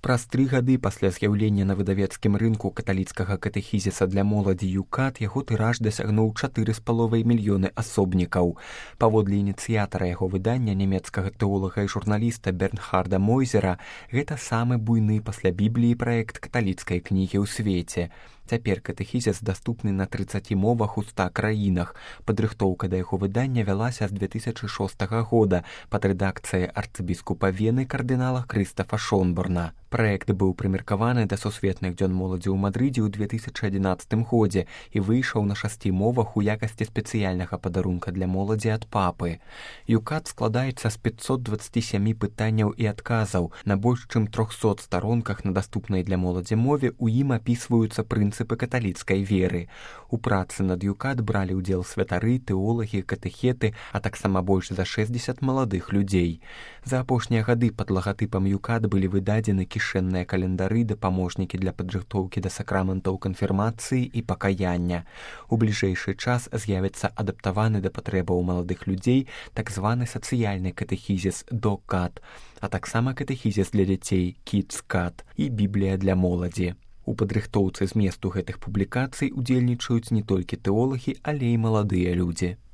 Праз 3 гады пасля з'яўлення на выдавецкім рынку каталіцкага катэхізіса для моладзі «Юкат» яго тыраж дасягнуў 4,5 мільёны асобнікаў. Паводле ініцыятара яго выдання, нямецкага тэолага і журналіста Бернхарда Мойзера, гэта самы буйны пасля Бібліі праект каталіцкай кнігі ў свеце. Цяпер катэхізіс даступны на 30 мовах у 100 краінах. Падрыхтоўка да яго выдання вялася з 2006 года пад рэдакцыяй арцыбіскупа Вены кардынала Крыстафа Шонборна. Праект быў прымеркаваны да сусветных дзён моладзі ў Мадрыдзе ў 2011 годзе і выйшаў на 6 мовах у якасці спецыяльнага падарунка для моладзі ад папы. «Юкат» складаецца з 527 пытанняў і адказаў. На больш чым 300 старонках на даступнай для моладзі мове у ім апісваюцца прынцыпы каталіцкай веры. У працы над «Юкат» бралі ўдзел святары, тэолагі, катэхеты, а таксама больш за 60 маладых людзей. За апошнія гады пад лагатыпам «Юкат» былі выдадзены кішэнныя календары, дапаможнікі для падрыхтоўкі да сакраментаў канфірмацыі і пакаяння. У бліжэйшы час з'явіцца адаптаваны да патрэбаў маладых людзей так званы сацыяльны катэхізіс «ДО-КАТ», а таксама катэхізіс для дзяцей «КІДС-КАТ» і Біблія для моладзі. У падрыхтоўцы зместу гэтых публікацый удзельнічаюць не толькі тэолагі, але і маладыя людзі.